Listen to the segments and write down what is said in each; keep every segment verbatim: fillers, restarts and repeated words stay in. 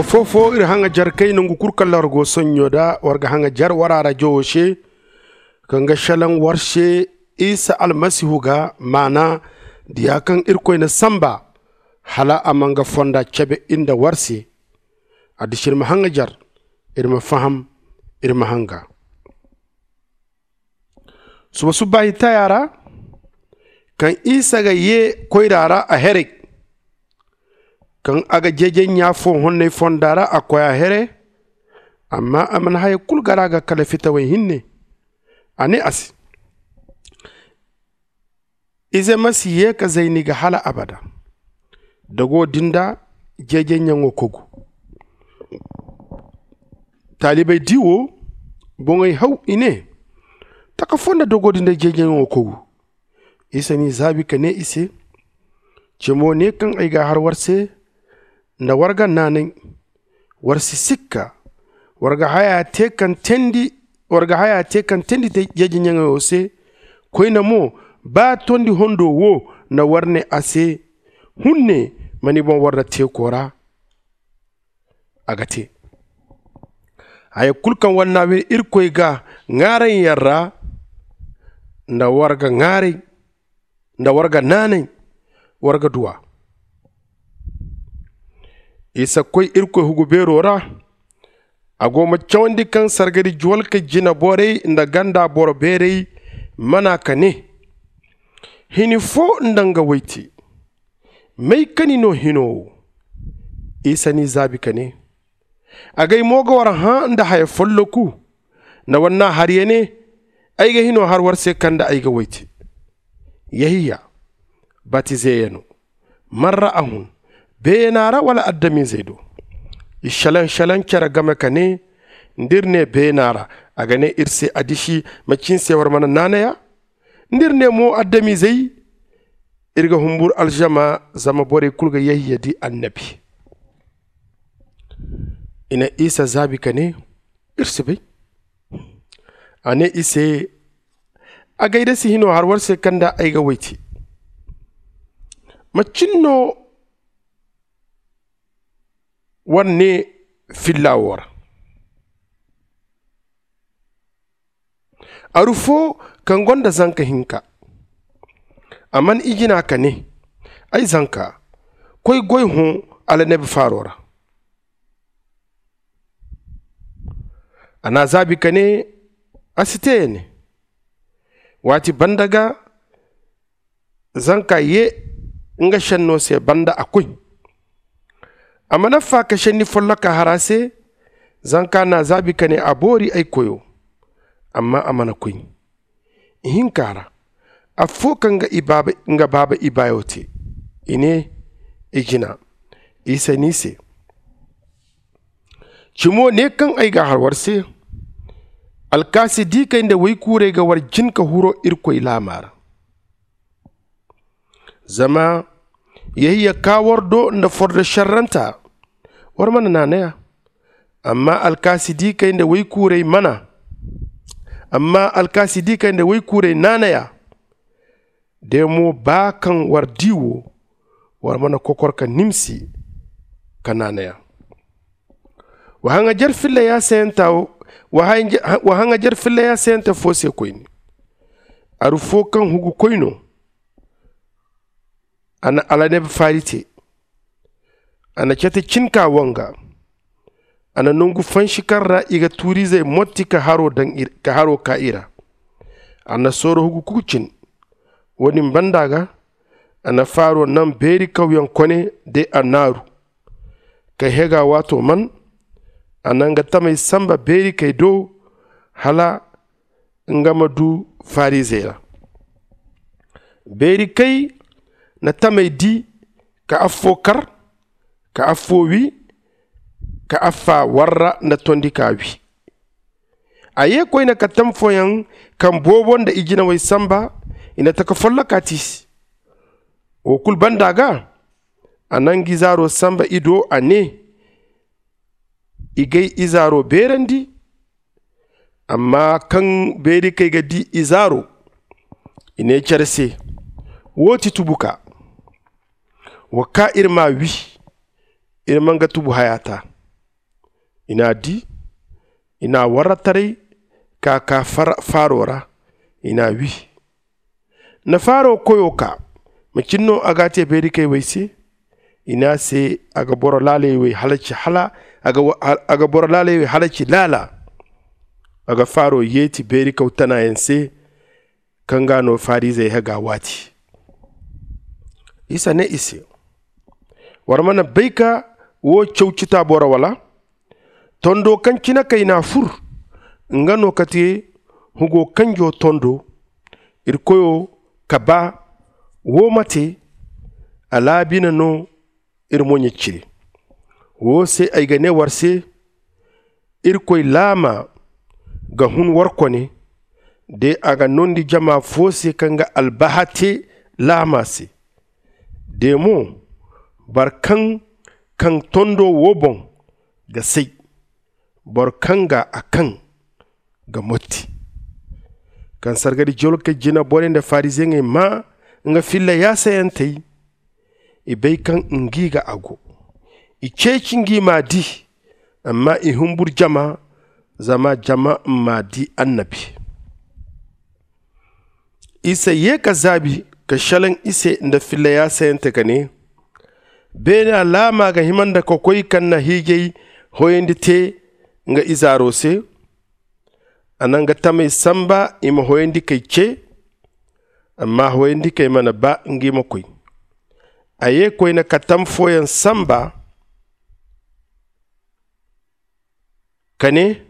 Foo-foo iri haŋajer kay nongu kul kaŋ ra war go sonɲo nda war ga haŋajer war arajowo se, kaŋ ga šelaŋ war se isa almasihu ga, maana diya kaŋ irkoy na sanba, hala a ma nga fonda cebe iri nda war se. Addiši iri ma haŋajer, iri ma faham, iri ma haŋa. Suba subbaahi taya ra, kaŋ isa ga yee koyra ra a heray, kaŋ a ga jeejay ɲa foo honnay fonda ra a koy a here. Amma a mana haya kul gar a ga kala fitawey hinne. A nee a se, ize ma si yee ka zay ni ga hala abada. Dogo din nda jeejay ɲaŋo kogu. Taalibey di wo, boŋey haw i nee, taka foo nda dogo din nda jeejay ɲaŋo kogu? Isa n'i zaabi ka nee i se, cimo ne kaŋ ay ga a har war se, nda war ga naanay, war si sikka. War ga haya te kaŋ teendi, war ga haya te kaŋ teendi jeejay ɲaŋo se. Koyne mo, ba tondi hondo wo na war nee a se, hunne ma ni boŋ war nda teeko ra. A ga te haya kul kaŋ war na wiri irkoy ga ŋaarayyaŋ ra, nda war ga ŋaaray, nda war ga naanay, war ga duw'a. Isa koy irkoy hugu beero ra. A go ma cawandi kaŋ sargari juwalka jina borey nda ganda boro beerey mana ka nee, hini foo nda nga woy te, may ka ni no hino wo? Isa n'i zaabi ka nee, agay mo ga war hã nda haya folloku, nda war n'a har ya ne, ay ga hino har war se kaŋ nda ay ga woy te. Yehiya, batizeeya no. Man ra a hun, beena ra wala adamizey do? I šelaŋ šelaŋ cere game ka nee, nda ir nee beena ra, a ga nee ir se, addiši, macin se war mana naanay a? Nda ir nee mo adamizey, ir ga humbur alžama, zama borey kul ga yehiya di annabi. I na isa zaabi ka nee, ir si bay. A nee i se, agay da si hino har war se kaŋ nda ay ga woy te, macin no war nee filla wo ra? Aru foo kaŋ gonda zanka hinka, a man i jina ka nee, ay zanka, koy goy hõ alaneb faaro ra. A n'a zaabi ka nee, a si te ya ne. Waati banda ga zanka ye nga šenno se banda a koy. A mana fa ka šenni folloka har a se. Zanka n'a zaabi ka nee, a boori ay koyo. Amma a mana koy. Ihinka ra, affoo kaŋ nga baaba ibaayo te, i ne, i jina. Isa n'i se, cimo ne kaŋ ay ga a har war se, alkaasi diikey nda waykuurey ga war jin ka huru irkoy laama ra. Zama yehiya kaa war do nda fordo šerranta, war mana naanay a. Amma alkaasi diikey nda waykuurey mana. Amma alkaasi diikey nda waykuurey naanay a. De mo ba kaŋ war di wo, war mana kokor ka nimsi ka naanay a. Wa haŋajer filla ya sayanta wa haŋajer filla ya sayanta fo se koyne. Aru fo kaŋ hugu koy no. A na alaneb faari te. A na cete cin ka wanga. A na nongu fansi kaŋ ra i ga tuuriizey motti ka haro ka i ra. A na sooro hugu kuku cin. Wo-din banda ga, a na faaro naŋ beeri kawyaŋ kone de annaaru. Kay hega waato man, a na nga tamey samba beeri kay do, hala nga ma du farizey ra. Beeri kay na tamey di, ka affoo kar, ka affoo wi, ka affaa warra nda tondi ka wi. A ye koyne ka tam fooyaŋ kaŋ boobo nda i jinawey samba. I na taka folloka tiisi. Wo kulu banda ga, a na nga izaaro samba i do, a ne, i g'ay izaaro beerandi. Amma kaŋ beeri kay ga di izaaro, i ne care se, wo ti tubuka. Wa kaa iri m'a wi. Iri ma nga tubu haya ta. I n'a di, i n'a warra taray ka ka faaro ra. I n'a wi. Na faaro koyo ka macin no a ga te beerikey wey se. I n'a se a ga boro laaley wey halaci hala a ga boro laaley wey halaci laala. A ga faaro yeeti beerikaw tanayaŋ se kaŋ ga no farizey haga waati. Isa ne i se, war mana bay ka wo caw citaabo ra wala? Tondo kaŋ cine kay n'a fur, nga no ka te hugo kanjo tondo. Iri koyo ka ba wo ma te a laabina no. Iri mo ɲa cire wo se ay ga ne war se, irkoy laama ga hun war kone. De a ga nondi jama fo se kaŋ ga albaha te laama se. De mo boro kaŋ kaŋ tondo wo boŋ ga say, boro kaŋ ga a kaŋ ga motti. Kaŋ sargari jolkey jina borey nda fariziyeŋey maa nga filla yaasayantey, i bay kaŋ ngi ga a go. I ceeci ngi m'a di, amma i humbur jama, zama jama m'a di annabi. Isa ye ka zaabi ka šelaŋ i se nda filla yaasayante ka ne, beena laama ga hima nda ka koy kaŋ na hiijay hoyandi te nga izaaro se? A na nga tamey samba i ma hoyandikey ce. Amma hoyandikey mana ba ngi ma koy. A ye koyne ka tam fooyaŋ samba ka ne,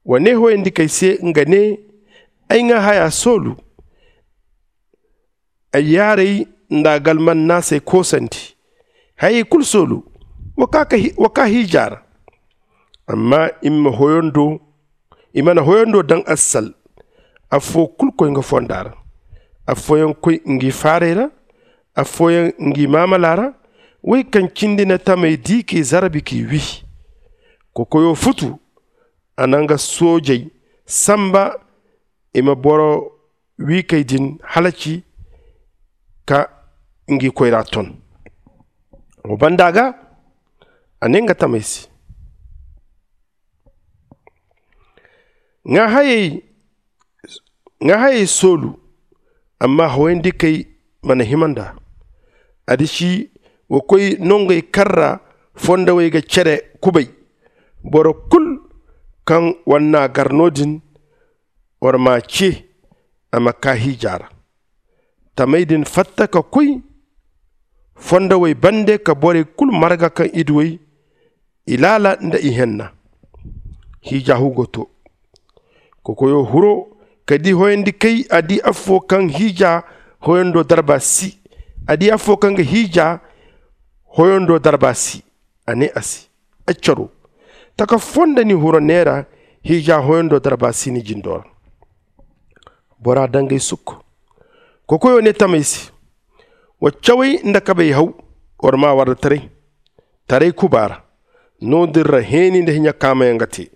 wa ne hoyandikey se nga ne, ay ŋwa haya soolu. Ay yaarey nda galmannaasey koosandi. Hayey kulu soolu, wa kaa hiija ra. Amma i mana hoyando daŋ assal. Affoo kulu koy nga fonda ra. Affooyaŋ koy ngi faarey ra. Affooyaŋ ngi maamala ra. Wey kaŋ cindi na tamey di k'i zarbi k'i wi. Kokoyo futu. A na nga soojey samba i ma boro wiikey din halaci ka ngi koyra ton. Wo banda ga a ne nga tamey se, ŋwa hayey soolu. Amma hoyandikey mana hima nd'a. Adiši wa koy nongey kaŋ ra fondawey ga cere kubay. Boro kulu kaŋ war n'a gar no- din, war m'a ce a ma kaa hiija ra. Tamey din fatta ka koy fondawey bande ka borey kulu marga kaŋ i du wey, i laala nda ihenna. Hiija hugo to. Kokoyo huro ka di hoyandikey. A di affoo kaŋ hiija hoyando darba si. A di affoo kaŋ ga hiija hoyando darba si. A ne a se, ay caro, taka foo nda ni huro neera hiija hoyando darba si ni jindo ra. Bora dangay sukku. Kokoyo ne tamey se, wa cawey nda kabey haw. War ma warra taray taray kuba ra. No- din ra heeni nda hiɲa kaamayaŋ ga te.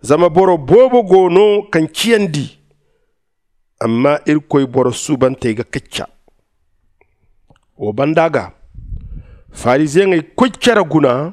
Zama boro boobo go no kaŋ ciyandi. Amma irkoy boro suubantey ga kacca. Wo banda ga fariziyeŋey koy cere guna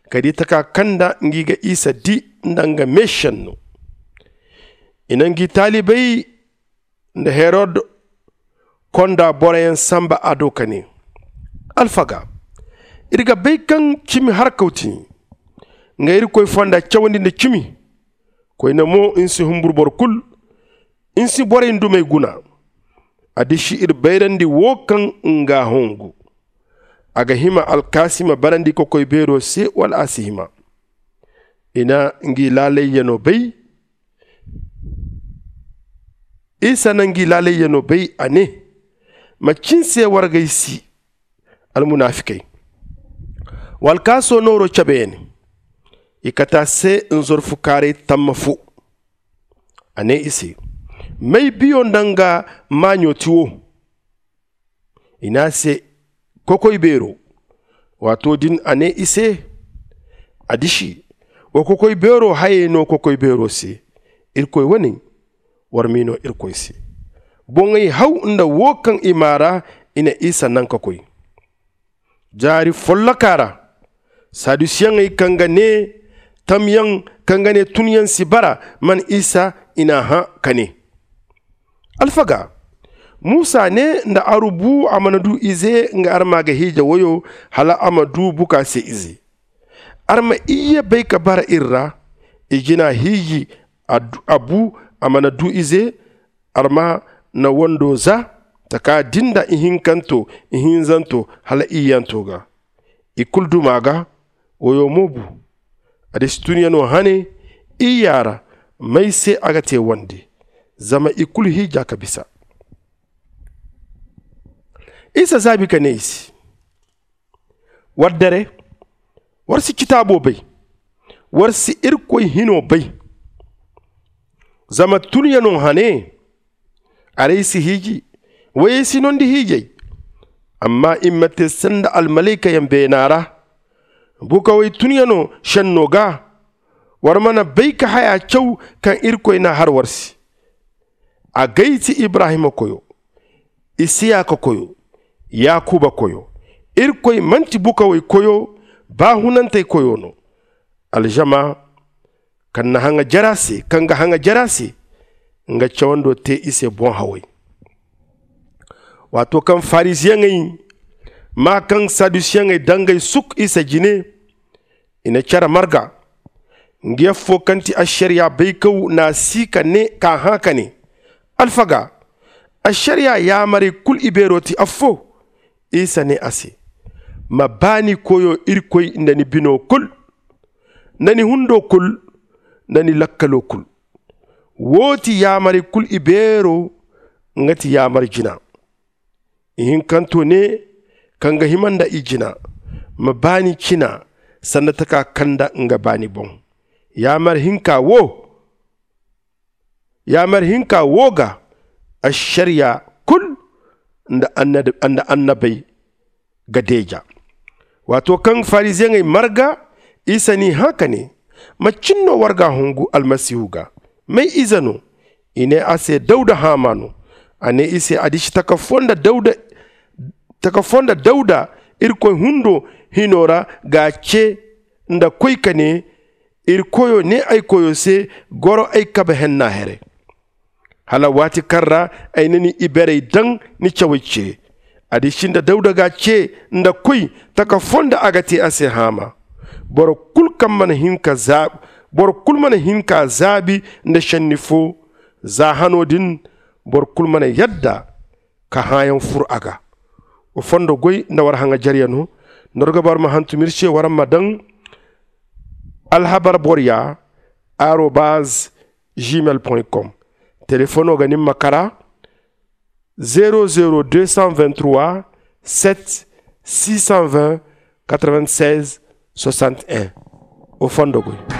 ka di taka kaŋ nda ngi ga isa di nda nga meesenno. I na ngi taalibey nda herod konda boroyaŋ samba a do ka ne, alfaga, iri ga bay kaŋ cimi harkaw ti nga irkoy fonda cawandi nda cimi. Koyne mo ni si humbur boro kulu. Ni si borey dumey guna. A disi iri bayrandi wo kaŋ nga hongu. A ga hima alkaasi ma barandi kokoy beero se wala a si hima? I na ngi laalayyanoo bay. Isa na ngi laalayyanoo bay a ne, macin se wargay si? Almunaafikey wa alkaasoo nooroo cabe ya ne. I kate a se nzorfu kaaray tamma fo. A ne i se, may biyo nda nga maaɲo ti wo? I ne a se, kokoy beero. Waato din a ne i se, a disi, wa kokoy beero hayey no kokoy beero se. Irkoy wane, war m'i no irkoy se. Boŋey haw nda wo kaŋ i maa ra. I na isa naŋ ka koy. Jaari folloka ra, Sadusiyaŋey kaŋ ga ne tamyaŋ, kaŋ ga ne tunyaŋ si bara, man isa i n'a hã ka ne, alfaga, musa ne nda aru bu a mana du ize nga arma ga hiija woyo, hala a ma du buka se ize. Arma iyye bay ka bara ir ra. I jina hiiji a bu a mana du ize. Arma na wando za taka din da ihinkanto, ihinzanto hala iyyanto ga. I kulu duma ga. Woyo mo bu. A disi tunyano hane iyya ra. May se a ga te wande? Zama i kulu hiija ka bisa. Isa zaabi ka ne i se, war dare, war si citaabo bay, war si irkoy hino bay. Zama tunyano hane, arey si hiiji, wayey si nondi hiijay. Amma i ma te sanda almalaykayaŋ beena ra. Bukawey tunyano senno ga, war mana bay ka haya caw kaŋ irkoy n'a har war se. Agay ti ibrahima koyo, isiyaka koyo, yakuba koyo. Irkoy manti bukawey koyo, baahunantey koyo no. Alzama kaŋ na haŋa jara se, kaŋ ga haŋa jara se, nga cawando te i se boŋ haway. Waato kaŋ farisiyaŋey maa kaŋ sadusiyaŋey dangay suk isa jine, i na care marga. Nga yaffo kaŋ ti ašariya baykaw n'a si ka ne k'a hã ka ne, alfaga, ašariya yaamarey kulu ibeero ti affo? Isa ne a se, ma ba ni koyo irkoy nda ni bino kulu, nda ni hundo kulu, nda ni lakkalo kulu. Wo ti yaamarey kulu ibeero. Nga ti yaamar jina. Ihinkanto ne, kaŋ ga hima nda i jina, ma baani cina sanda taka kanda nga baani boŋ. Yaamar hinka wo yaamar hinka wo ga, ašariya kulu nda annabey ga deeja. Waato kaŋ farisiyeŋey marga, isa n'i hã ka ne, macin no war ga hungu almasihu ga? May ize no? I ne a se dawuda haama no. A ne i se a disi taka fo nda dawuda taka fo nda dawuda irkoy hundo hino ra ga ce nda koy ka ne, iri koyo ne ay koyo se, goro ay kabe henna here, hala waati kaŋ ra ay na ni iberey daŋ ni cawey ce. A di sinda dawuda ga ce nda koy taka fo nda a ga te a se haama. Boro kulu kaŋ mana hin ka zaabi boro kulu mana hin ka zaabi nda senni fo. Za hano din boro kulu mana yadda ka hãayaŋ fur a ga. Wa fondo goy nda war haŋajarya no. Nda war ga ba war ma hantum ir se war ma daŋ alhabar borya arobaz gmail com. Telefono ga nin ma kara zero zero deux cent vingt trois sept six cent vingt quatre vingt seize soixante un. Wa fondo goy.